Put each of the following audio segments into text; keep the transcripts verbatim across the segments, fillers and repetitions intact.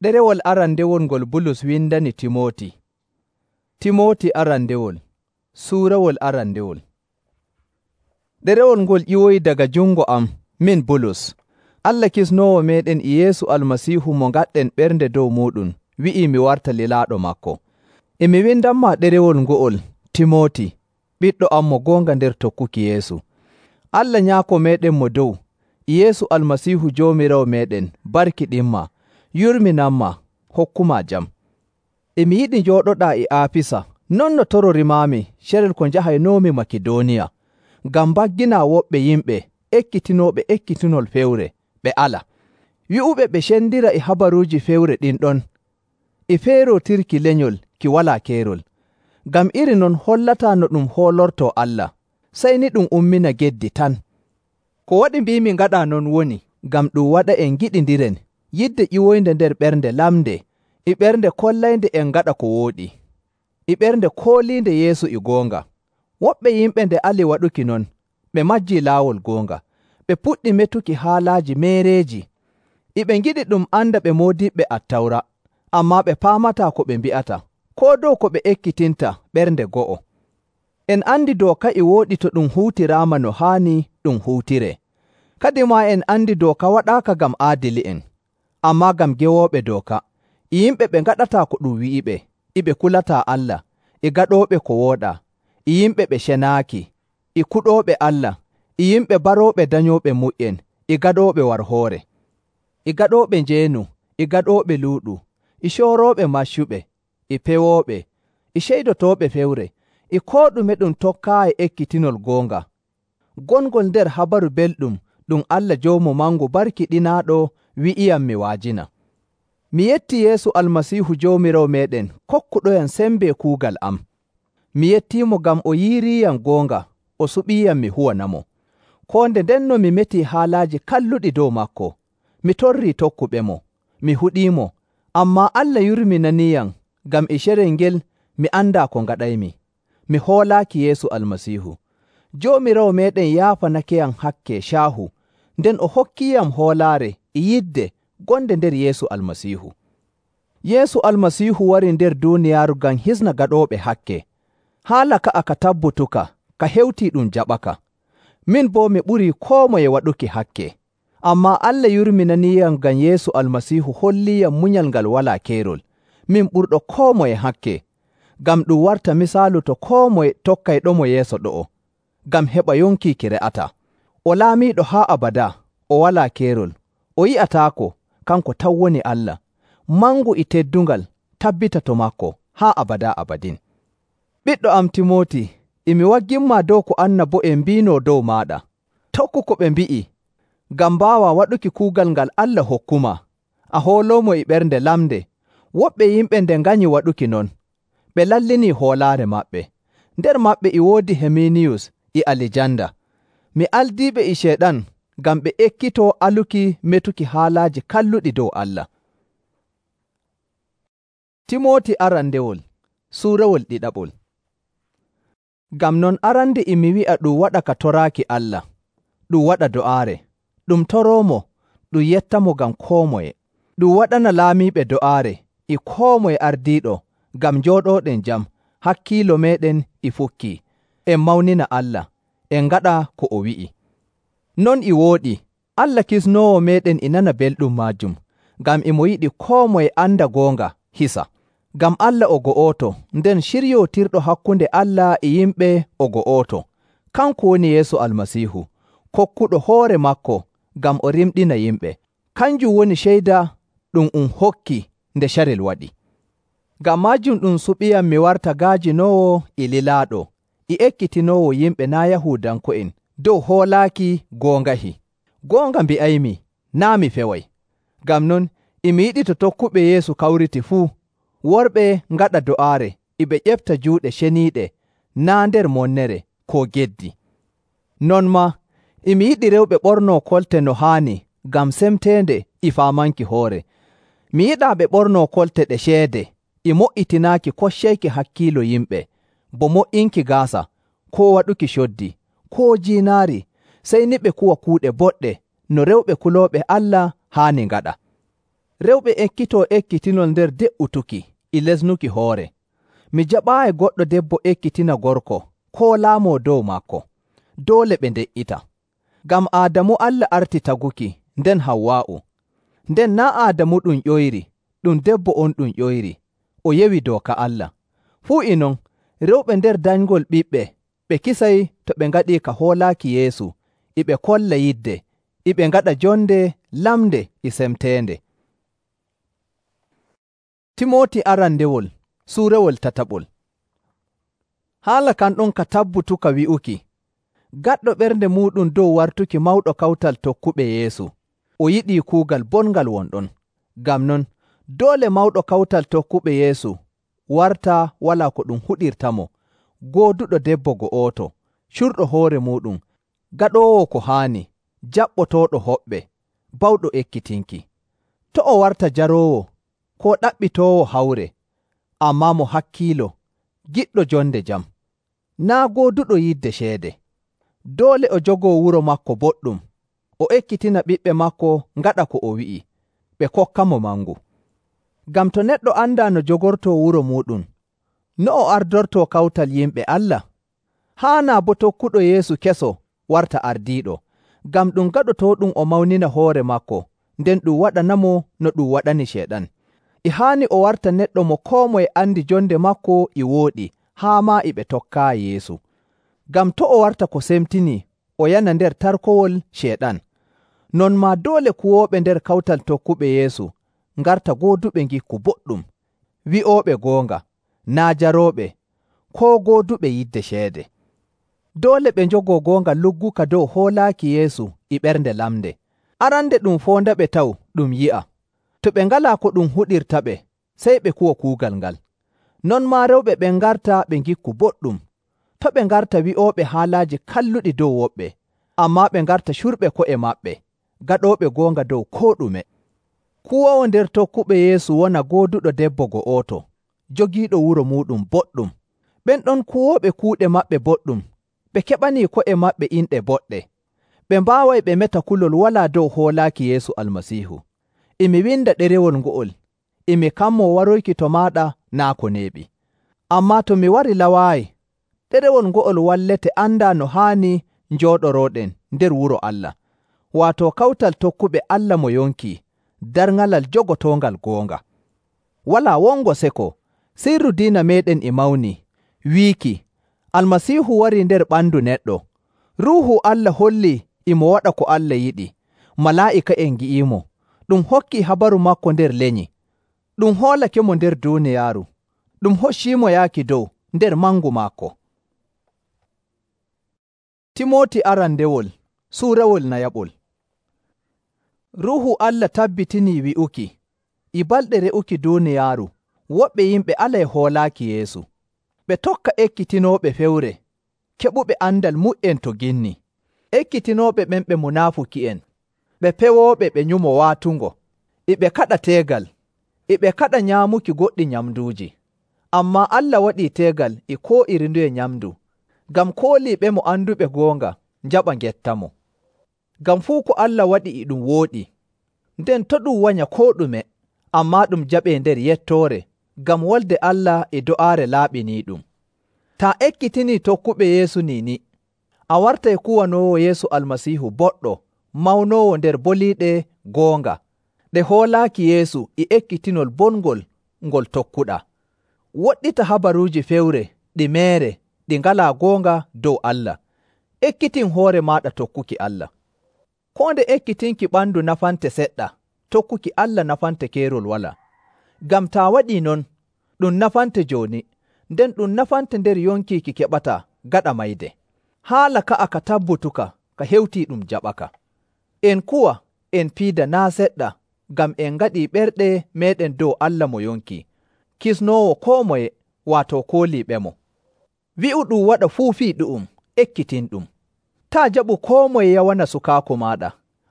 Ɗerewol arandewol ngol Bulus windani Timooti. Timooti arandewol, suurawol arandewol. Ɗerewol ngol ƴiwoyi daga jungo am, min Bulus. Allah kisnoowo meeɗen e Yeesu Almasiihu mo ngaɗɗen ɓernde dow muuɗum, wi'ii mi warta lilaaɗo maako. E mi windanmaa ɗerewol ngo'ol, Timooti, ɓiɗɗo am mo goonga nder tokkuki Yeesu. Allah Nyaako meeɗen mo dow, e Yeesu Almasiihu Joomiraawo meeɗen, barkiɗinmaa, yurminanmaa, hokkumaa jam. E mi yiɗi njooɗoɗaa e Aafisa, non no tororimaami carel ko njahaynoomi Makidooniya, ngam mbagginaa woɓɓe yimɓe ekkitinooɓe ekkitinol fewre, ɓe ala. Wi'uɓe ɓe cendira e habaruuji fewre ɗin ɗon, e feerootirki lenyol ki walaa keerol. Ngam iri non hollataa no ɗum hoolortoo Allah, sey ni ɗum ummina geddi tan. Ko waɗi mbiimi ngaɗaa non woni, ngam ɗum waɗa en ngiɗindiren yidde ƴiwoynde nder ɓernde lamnde, e ɓernde kollaynde en ngaɗa ko wooɗi, e ɓernde kooliinde Yeesu e goonga. Woɓɓe yimɓe nde ali waɗuki non, ɓe majjii laawol goonga, ɓe puɗɗi metuki haalaaji meereeji, e ɓe ngiɗi ɗum anda ɓe moodiɓɓe Attawra, ammaa ɓe paamataa ko ɓe mbi'ata, koo dow ko ɓe ekkitinta ɓernde go'o. En andi dooka e wooɗi to ɗum huutiraama no haani ɗum huutiree. Kadimaa en andi dooka waɗaaka ngam aadili'en, ammaa ngam gewooɓe dooka, e yimɓe ɓe ngaɗataa ko ɗum wi'iɓe, e ɓe kulataa Allah, e gaɗooɓe ko wooɗaa, e yimɓe ɓe cenaaki, e kuɗooɓe Allah, e yimɓe barooɓe danyooɓe muƴƴen, e gaɗooɓe warhoore, e gaɗooɓe njeenu, e gaɗooɓe luuɗu, e coorooɓe maccuɓe, e pewooɓe, e ceydotooɓe fewre, e koo ɗume ɗum tokkaayi ekkitinol goonga. Gongol nder habaru belɗum ɗum Allah Joomu Mangu barkiɗinaaɗo wi'iyam mi wa'ajina. Mi yettii Yeesu Almasiihu Joomiraawo meeɗen kokkuɗoyam sembe kuugal am. Mi yettiimo ngam o yiiriiyam goonga, o suɓiiyam mi huwanamo. Koo nde ndenno mi metii haalaaji kalluɗi dow maako, mi torrii tokkuɓemo, mi huɗiimo, ammaa Allah yurminaniiyam ngam e carel ngel mi andaa ko ngaɗaymi. Mi hoolaaki Yeesu Almasiihu. Joomiraawo meeɗen yaafanakeyam hakke caahu, nden o hokkiiyam hoolaare e yidde gonde nder Yeesu Almasiihu. Yeesu Almasiihu wari nder duuniyaaru ngam hisna gaɗooɓe hakke. Haala ka'a ka tabbutuka, ka hewtii ɗum jaɓaka. Min boo mi ɓurii koo moye waɗuki hakke. Ammaa Allah yurminaniiyam ngam Yeesu Almasiihu holliiyam munyal ngal walaa keerol. Min ɓurɗo koo moye hakke, ngam ɗum warta misaalu to koo moye tokkayɗomo yeeso ɗo'o, ngam heɓa yonki ki re'ataa. O laamiiɗo haa abadaa, o walaa keerol, o yi'ataako, kanko tan woni Allah, mangu e teddungal tabbita to maako haa abadaa abadin. Ɓiɗɗo am Timooti, e mi wagginmaa dow ko annabo'en mbiinoo dow maaɗa. Tokku ko ɓe mbi'i, ngam mbaawaa waɗuki kuugal ngal Allah hokkumaa, a hooloomo e ɓernde lamnde. Woɓɓe yimɓe nde nganyi waɗuki non, ɓe lallinii hoolaare maɓɓe. Nder maɓɓe e woodi Heminiyus e Alijanda. Mi aldiiɓe e Ceyɗan ngam ɓe ekkitoo aluki metuki haalaaji kalluɗi dow Allah. Timooti arandewol, suurawol ɗiɗaɓol. Ngam non arande e mi wi'a ɗum waɗa ka toraaki Allah, ɗum waɗa do'aare, ɗum toroomo, ɗum yettamo ngam koo moye, ɗum waɗana laamiiɓe do'aare e koo moye ardiiɗo, ngam njooɗooɗen jam, hakkiilo meeɗen e fukkii, en mawnina Allah, en ngaɗa ko o wi'i. Non e wooɗi, Allah kisnoowo meeɗen e nana belɗum maajum, ngam e mo yiɗi koo moye anda goonga hisa. Ngam Allah o go'oto, nden ciryootirɗo hakkunde Allah e yimɓe o go'oto. Kanko woni Yeesu Almasiihu, kokkuɗo hoore maako ngam o rimɗina yimɓe. Kanjum woni ceyda ɗum um hokki nde carel waɗi. Ngam maajum ɗum suɓiyam mi warta gaajinoowo e lilaaɗo, e ekkitinoowo yimɓe naa' Yahuudanko'en dow hoolaaki goongahi. Goonga mbi'aymi, naa' mi feway. Ngam non, e mi yiɗi to tokkuɓe Yeesu kawriti fuu, worɓe ngaɗa do'aare, e ɓe ƴefta juuɗe ceniiɗe, naa' nder monnere koo geddi. Non maa, e mi yiɗi rewɓe ɓornoo kolte no haani ngam semteende e faamanki hoore. Mi yiɗaa ɓe ɓornoo kolte ɗe ceede, e mo'itinaaki koccayki hakkiilo yimɓe, bo mo'inki gaasa, koo waɗuki coddi, koo jiinaari, sey ni ɓe kuwa kuuɗe boɗɗe no rewɓe kulooɓe Allah haani ngaɗa. Rewɓe ekkitoo ekkitinol nder de'utuki e lesnuki hoore. Mi jaɓaayi goɗɗo debbo ekkitina gorko koo laamoo dow maako. Doole ɓe nde''ita. Ngam Aadamu Allah arti taguki, nden Hawwaa'u. Nden naa' Aadamu ɗum ƴoyri, ɗum debbo on ɗum ƴoyri, o yewi dooka Allah. Fuu e non, rewɓe nder danyngol ɓiɓɓe ɓe kisay to ɓe ngaɗii ka hoolaaki Yeesu, e ɓe kolla yidde, e ɓe ngaɗa jonde lamnde e semteende. Timooti arandewol suurewol tataɓol. Haala kan ɗon ka tabbutuka wi'uki, gaɗɗo ɓernde muuɗum dow wartuki mawɗo kawtal tokkuɓe Yeesu, o yiɗii kuugal bongal wonɗon. Ngam non, doole mawɗo kawtal tokkuɓe Yeesu warta walaa ko ɗum huɗirtamo, gooduɗo debbo go'oto, curɗo hoore muuɗum, gaɗoowo ko haani, jaɓɓotooɗo hoɓɓe, bawɗo ekkitinki. To' o warta jaroowo, koo ɗaɓɓitoowo hawre, ammaa mo hakkiilo, giɗɗo jonde jam, naa' gooduɗo yidde ceede. Doole o jogoo wuro maako boɗɗum, o ekkitina ɓiɓɓe maako ngaɗa ko o wi'i, ɓe kokkamo mangu. Ngam to neɗɗo andaa no jogortoo wuro muuɗum, no o ardortoo kawtal yimɓe Allah? Haanaa boo tokkuɗo Yeesu keso warta ardiiɗo, ngam ɗum gaɗotooɗum o mawnina hoore maako, nden ɗum waɗanamo no ɗum waɗani Ceyɗan. E haani o warta neɗɗo mo koo moye andi jonde maako e wooɗi, haa maa e ɓe tokkaayi Yeesu. Ngam to' o warta ko semtinii, o yana nder tarkowol Ceyɗan. Non maa doole kuwooɓe nder kawtal tokkuɓe Yeesu ngarta gooduɓe ngikku boɗɗum, wi'ooɓe goonga, naa' jarooɓe, koo gooduɓe yidde ceede. Doole ɓe njogoo goonga lugguka dow hoolaaki Yeesu e ɓernde lamnde. Arande ɗum foondaɓe taw ɗum yi'a. To ɓe ngalaa ko ɗum huɗirtaɓe, sey ɓe kuwa kuugal ngal. Non maa rewɓe ɓen ngarta ɓe ngikku boɗɗum. To' ɓe ngarta wi'ooɓe haalaaji kalluɗi dow woɓɓe, ammaa ɓe ngarta curɓe ko'e maɓɓe, gaɗooɓe goonga dow koo ɗume. Kuwoowo nder tokkuɓe Yeesu wona gooduɗo debbo go'oto, jogiiɗo wuro muuɗum boɗɗum. Ɓen ɗon kuwooɓe kuuɗe maɓɓe boɗɗum, ɓe keɓanii ko'e maɓɓe inɗe boɗɗe. Ɓe mbaaway ɓe meta kulol walaa dow hoolaaki Yeesu Almasiihu. E mi winda ɗerewol ngo'ol, e mi kammoo waroyki to maaɗa naa' ko neeɓi. Ammaa to mi wari lawaayi, ɗerewol ngo'ol wallete andaa no haani njooɗorooɗen nder wuro Allah, waato kawtal tokkuɓe Allah mo yonkii, darŋalal jogotoongal goonga. Walaa wongo seko, sirru diina meeɗen e mawnii, wiiki, Almasiihu warii nder ɓandu neɗɗo. Ruuhu Allah hollii e mo waɗa ko Allah yiɗi, malaa'ika'en ngi'iimo, ɗum hokkii habaru maako nder lenyi, ɗum hoolakemo nder duuniyaaru, ɗum hocciimo yaaki dow nder mangu maako. Timooti arandewol suurawol nayaɓol. Ruuhu Allah tabbitinii wi'uki, e balɗe re'uki duuniyaaru, woɓɓe yimɓe alay hoolaaki Yeesu. Ɓe tokka ekkitinooɓe fewre, keɓuɓe andal mu'en to ginni. Ekkitinooɓe ɓen ɓe munaafuki'en, ɓe pewooɓe ɓe nyumo waatungo, e ɓe kaɗa teegal, e ɓe kaɗa nyaamuki goɗɗi nyamduuji. Ammaa Allah waɗii teegal e koo iri nduye nyamndu, ngam kooliiɓemo anduɓe goonga njaɓa ngettamo. Ngam fuu ko Allah waɗi e ɗum wooɗi, nden to' ɗum wanya koo ɗume, ammaa ɗum jaɓee nder yettoore, ngam wolde Allah e do'aare laaɓiniiɗum. Taa ekkitinii tokkuɓe Yeesu niini, a wartay kuwanoowo Yeesu Almasiihu boɗɗo, mawnoowo nder boliiɗe goonga, ɗe hoolaaki Yeesu e ekkitinol bongol ngol tokkuɗaa. Woɗɗita habaruuji fewre ɗi meere ɗi ngalaa goonga dow Allah. Ekkitin hoore maaɗa tokkuki Allah. Koo nde ekkitinki ɓandu nafante seɗɗa, tokkuki Allah nafante keerol walaa. Ngam taa waɗii non, ɗum nafante jooni, nden ɗum nafante nder yonkiiki keɓataa gaɗa mayde. Haala ka'a ka tabbutuka ka hewtii ɗum jaɓaka. En kuwa, en piida naa' seɗɗa, ngam en ngaɗii ɓerɗe meeɗen dow Allah mo yonki, kisnoowo koo moye, waato kooliiɓemo. Wi'u ɗum waɗa fuu fii ɗu'um, ekkitinɗum. Taa jaɓu koo moye yawana sukaaku maaɗa,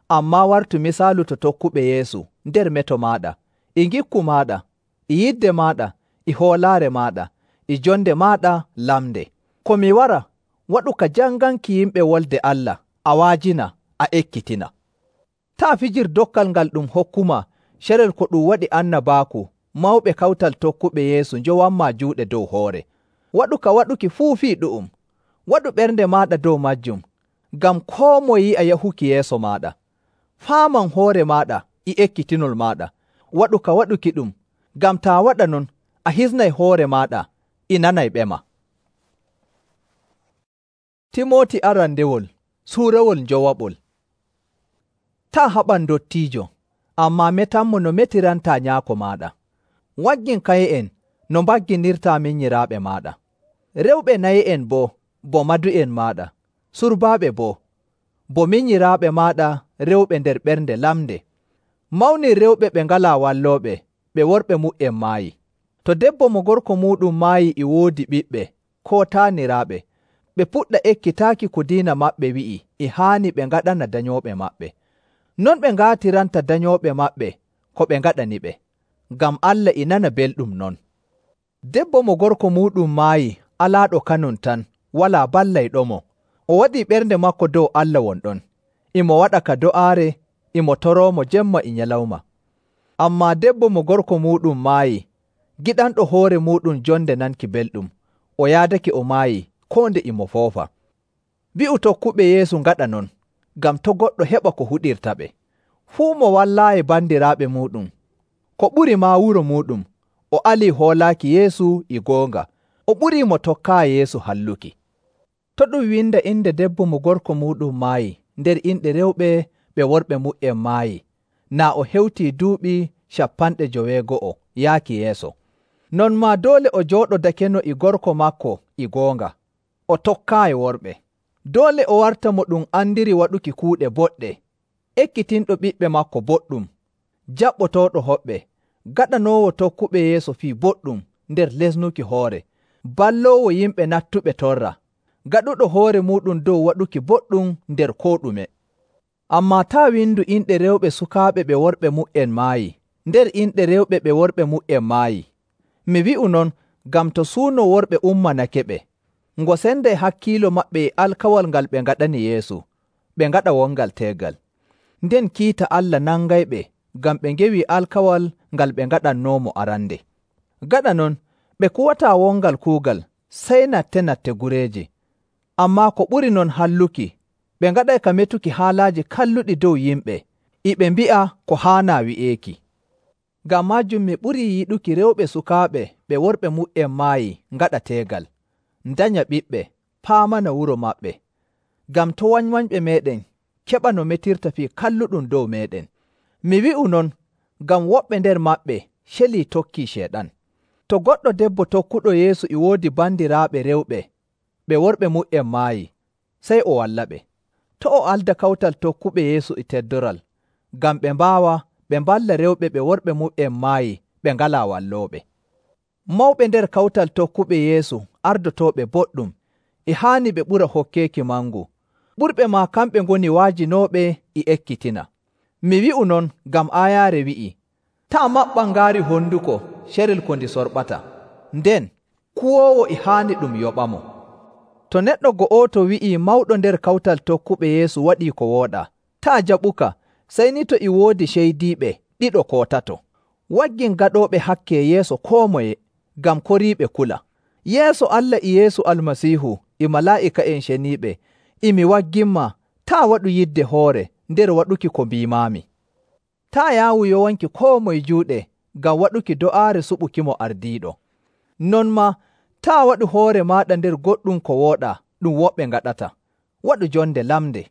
ammaa wartu misaalu to tokkuɓe Yeesu nder meto maaɗa, e ngikku maaɗa, e yidde maaɗa, e hoolaare maaɗa, e jonde maaɗa lamnde. Ko mi wara, waɗu ka janganki yimɓe wolde Allah, a waajina, a ekkitina. Taa fijir dokkal ngal ɗum hokkuma Carel ko ɗum waɗi annabaaku, mawɓe kawtal tokkuɓe Yeesu njowanmaa juuɗe dow hoore. Waɗu ka waɗuki fuu fii ɗu'um. Waɗu ɓernde maaɗa dow majjum, ngam koo moye yi'a yahuki yeeso maaɗa. Faaman hoore maaɗa e ekkitinol maaɗa. Waɗu ka waɗuki ɗum, ngam taa waɗa non, a hisnay hoore maaɗa e nanay ɓema. Timooti arandewol suurawol njowaɓol. Taa haɓan dottiijo, ammaa metanmo no metirantaa nyaako maaɗa. Waggin kaye'en no mbagginirtaa minyiraaɓe maaɗa. Rewɓe naye'en boo bo madu'en maaɗa. Surbaaɓe boo bo minyiraaɓe maaɗa rewɓe nder ɓernde lamnde. Mawnir rewɓe ɓe ngalaa wallooɓe, ɓe worɓe mu''en maayi. To debbo mo gorko muuɗum maayi e woodi ɓiɓɓe koo taaniraaɓe, ɓe puɗɗa ekkitaaki ko diina maɓɓe wi'i e haani ɓe ngaɗana danyooɓe maɓɓe. Non ɓe ngaatiranta danyooɓe maɓɓe ko ɓe ngaɗaniɓe, ngam Allah e nana belɗum non. Debbo mo gorko muuɗum maayi alaaɗo kanum tan walaa ballayɗomo, o waɗii ɓernde maako dow Allah wonɗon, imo waɗa ka do'aare, imo toroomo jemma e nyalawma. Ammaa debbo mo gorko muuɗum maayi, giɗanɗo hoore muuɗum jonde nanki belɗum, o yaadake o maayi koo nde imo foofa. Wi'u tokkuɓe Yeesu ngaɗa non, ngam to' goɗɗo heɓa ko huɗirta ɓe. Fuu mo wallaayi bandiraaɓe muuɗum, ko ɓuri maa wuro muuɗum, o alii hoolaaki Yeesu e goonga, o ɓurii mo tokkaayi Yeesu halluki. To ɗum winda inde debbo mo gorko muuɗum maayi nder inɗe rewɓe ɓe worɓe mu''en maayi, naa o hewtii duuɓi cappanɗe joweego'o yaaki yeeso. Non maa doole o jooɗodakeno e gorko maako e goonga, o tokkaayi worɓe. Doole o warta mo ɗum andiri waɗuki kuuɗe boɗɗe, ekkitinɗo ɓiɓɓe maako boɗɗum, jaɓɓotooɗo hoɓɓe, gaɗanoowo tokkuɓe Yeesu fii boɗɗum nder lesnuki hoore, balloowo yimɓe nattuɓe torra, gaɗuɗo hoore muuɗum dow waɗuki boɗɗum nder koo ɗume. Ammaa taa windu inɗe rewɓe sukaaɓe ɓe worɓe mu''en maayi nder inɗe rewɓe ɓe worɓe mu''en maayi. Mi wi'u non ngam to suuno worɓe ummanake ɓe, ngo senday hakkiilo maɓɓe e alkawal ngal ɓe ngaɗani Yeesu, ɓe ngaɗa wongal teegal. Nden kiita Allah nangayɓe ngam ɓe ngewii alkawal ngal ɓe ngaɗannoomo arande. Gaɗa non, ɓe kuwataa wongal kuugal sey natte-natte gureeje. Ammaa ko ɓuri non halluki, ɓe ngaɗay ka metuki haalaaji kalluɗi dow yimɓe, e ɓe mbi'a ko haanaa wi'eeki. Ngam maajum mi ɓurii yiɗuki rewɓe sukaaɓe ɓe worɓe mu''en maayi ngaɗa teegal, ndanya ɓiɓɓe, paamana wuro maɓɓe, ngam to' wanywanyɓe meeɗen keɓa no metirta fii kalluɗum dow meeɗen. Mi wi'u non ngam woɓɓe nder maɓɓe celii tokkii Ceyɗan. To goɗɗo debbo tokkuɗo Yeesu e woodi bandiraaɓe rewɓe ɓe worɓe mu''en maayi, sey o wallaɓe. To' o alda kawtal tokkuɓe Yeesu e teddoral, ngam ɓe mbaawa ɓe mballa rewɓe ɓe worɓe mu''en maayi ɓe ngalaa wallooɓe. Mawɓe nder kawtal tokkuɓe Yeesu ardotooɓe boɗɗum, e haani ɓe ɓura hokkeeki mangu. Ɓurɓe maa kamɓe ngoni waajinooɓe e ekkitina. Mi wi'u non ngam aayaare wi'i, taa maɓɓan ngaari honduko carel ko ndi sorɓata, nden kuwoowo e haani ɗum yoɓamo. To neɗɗo go'oto wi'ii mawɗo nder kawtal tokkuɓe Yeesu waɗii ko wooɗaa, taa jaɓuka, sey ni to e woodi ceydiiɓe ɗiɗo koo tato. Waggin gaɗooɓe hakke yeeso koo moye, ngam koriiɓe kula. Yeeso Allah e Yeesu Almasiihu e malaa'ika'en ceniiɓe, e mi wagginma taa waɗu yidde hoore nder waɗuki ko mbiimaami. Taa yaawu yowanki koo moye juuɗe ngam waɗuki do'aare suɓukimo ardiiɗo. Non maa taa waɗu hoore maaɗa nder goɗɗum ko wooɗaa ɗum woɓɓe ngaɗata. Waɗu jonde lamnde.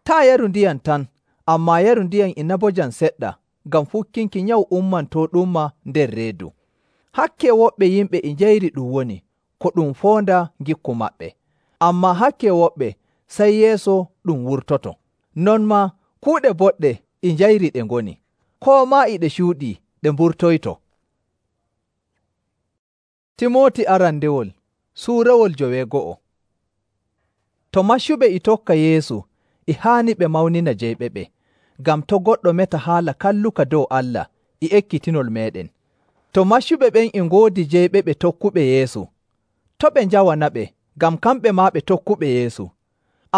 Taa yaru ndiyam tan, ammaa yaru ndiyam inabojam seɗɗa, ngam fukkinki nyawu ummantooɗumma nder reedu. Hakke woɓɓe yimɓe e njayri ɗum woni, ko ɗum foonda ngikku maɓɓe. Ammaa hakke woɓɓe sey yeeso ɗum wurtoto. Non maa kuuɗe boɗɗe e njayri ɗe ngoni, koo maa e ɗe cuuɗii ɗe mburtoyto. Timooti arandewol suurawol joweego'o. To maccuɓe e tokka Yeesu, e haani ɓe mawnina jeyɓe ɓe, ngam to' goɗɗo meta haala kalluka dow Allah e ekkitinol meeɗen. To maccuɓe ɓen e ngoodi jeyɓe ɓe tokkuɓe Yeesu, to' ɓe njawanaɓe, ngam kamɓe maa ɓe tokkuɓe Yeesu.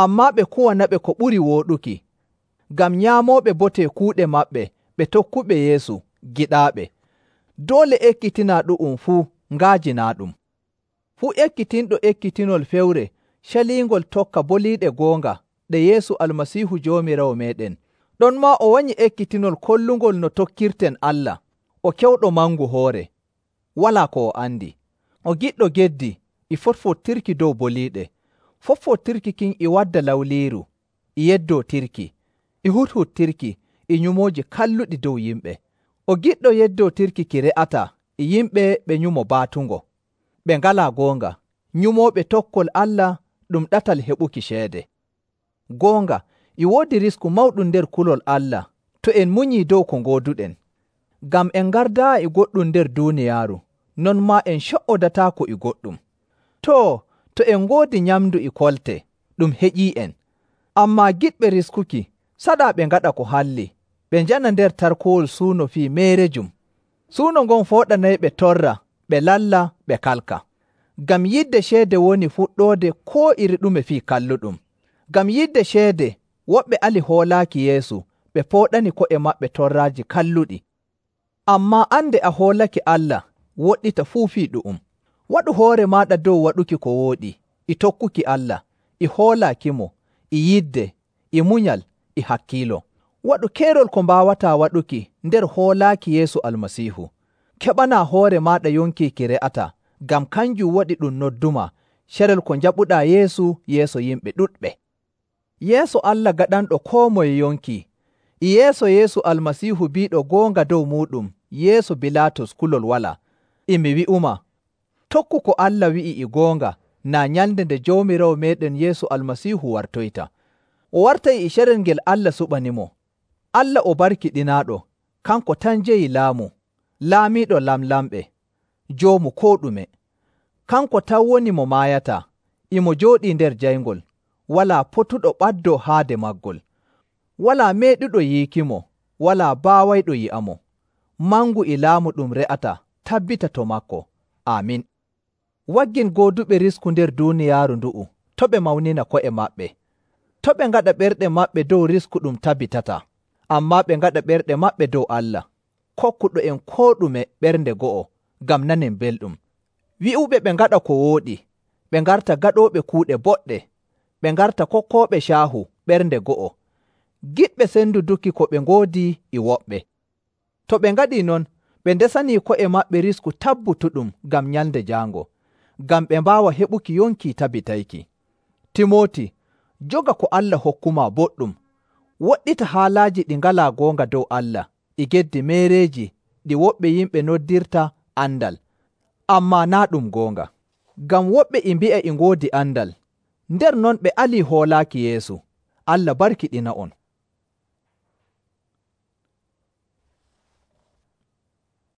Ammaa ɓe kuwanaɓe ko ɓuri wooɗuki, ngam nyaamooɓe bote kuuɗe maɓɓe ɓe tokkuɓe Yeesu giɗaaɓe. Doole ekkitinaa ɗu'um fuu nga'ajinaaɗum. Fuu ekkitinɗo ekkitinol fewre caliingol tokka boliiɗe goonga ɗe Yeesu Almasiihu Joomiraawo meeɗen, ɗonmaa o wanyi ekkitinol kollungol no tokkirten Allah, o kewɗo mangu hoore, walaa ko o andi. O giɗɗo geddi e fotfotirki dow boliiɗe. Fotfotirki kin e wadda lawliiru, e yeddootirki, e huthuttirki, e nyumooji kalluɗi dow yimɓe. O giɗɗo yeddootirki ki re'ataa e yimɓe ɓe nyumo baatungo, ɓe ngalaa goonga, nyumooɓe tokkol Allah ɗum ɗatal heɓuki ceede. Goonga, e woodi risku mawɗum nder kulol Allah to en munyii dow ko ngooduɗen. Ngam en ngardaa e goɗɗum nder duuniyaaru, non maa en co''odataako e goɗɗum. Too, to en ngoodi nyamndu e kolte, ɗum heƴii'en. Ammaa giɗɓe riskuki, saɗaa ɓe ngaɗa ko halli, ɓe njana nder tarkowol suuno fii meerejum. Suuno ngon fooɗanayɓe torra, ɓe lalla, ɓe kalka. Ngam yidde ceede woni fuɗɗoode koo iri ɗume fii kalluɗum. Ngam yidde ceede, woɓɓe ali hoolaaki Yeesu, ɓe pooɗani ko'e maɓɓe torraaji kalluɗi. Ammaa ande a hoolake Allah, woɗɗita fuu fii ɗu'um. Waɗu hoore maaɗa dow waɗuki ko wooɗi, e tokkuki Allah, e hoolaakimo, e yidde, e munyal, e hakkiilo. Waɗu keerol ko mbaawataa waɗuki nder hoolaaki Yeesu Almasiihu. Keɓanaa hoore maaɗa yonki ki re'ataa, ngam kanjum waɗi ɗum noddumaa carel ko njaɓuɗaa Yeesu yeeso yimɓe ɗuɗɓe. Yeeso Allah gaɗanɗo koo moye yonki, e yeeso Yeesu Almasiihu biiɗo goonga dow muuɗum yeeso Bilaatus kulol walaa, e mi wi'umaa, tokku ko Allah wi'i e goonga naa nyalnde nde Joomiraawo meeɗen Yeesu Almasiihu wartoyta. O wartay e carel ngel Allah suɓanimo. Allah o barkiɗinaaɗo, kanko tan jeyi laamu, laamiiɗo lamlamɓe, joomu koo ɗume. Kanko tan woni mo maayataa, e mo jooɗii nder jayngol, walaa potuɗo ɓaddoo haade maggol. Walaa meeɗuɗo yiikimo, walaa baawayɗo yi'amo. Mangu e laamu ɗum re'ataa tabbita to maako. Aamin. Waggin gooduɓe risku nder duuniyaaru ndu'u, to' ɓe mawnina ko'e maɓɓe. To' ɓe ngaɗa ɓerɗe maɓɓe dow risku ɗum tabbitataa, ammaa ɓe ngaɗa ɓerɗe maɓɓe dow Allah, kokkuɗo en koo ɗume ɓernde go'o, ngam nanen belɗum. Wi'uɓe ɓe ngaɗa ko wooɗi, ɓe ngarta gaɗooɓe kuuɗe boɗɗe, ɓe ngarta kokkooɓe caahu ɓernde go'o, giɗɓe senduduki ko ɓe ngoodi e woɓɓe. To ɓe ngaɗii non, ɓe ndesanii ko'e maɓɓe risku tabbutuɗum ngam nyalnde jaango, ngam ɓe mbaawa heɓuki yonki tabbitayki. Timooti, joga ko Allah hokkumaa boɗɗum. Woɗɗita haalaaji ɗi ngalaa goonga dow Allah, e geddi meereeji ɗi woɓɓe yimɓe noddirta andal, ammaa naa' ɗum goonga. Ngam woɓɓe e mbi'a e ngoodi andal, nder non ɓe alii hoolaaki Yeesu. Allah barkiɗina on.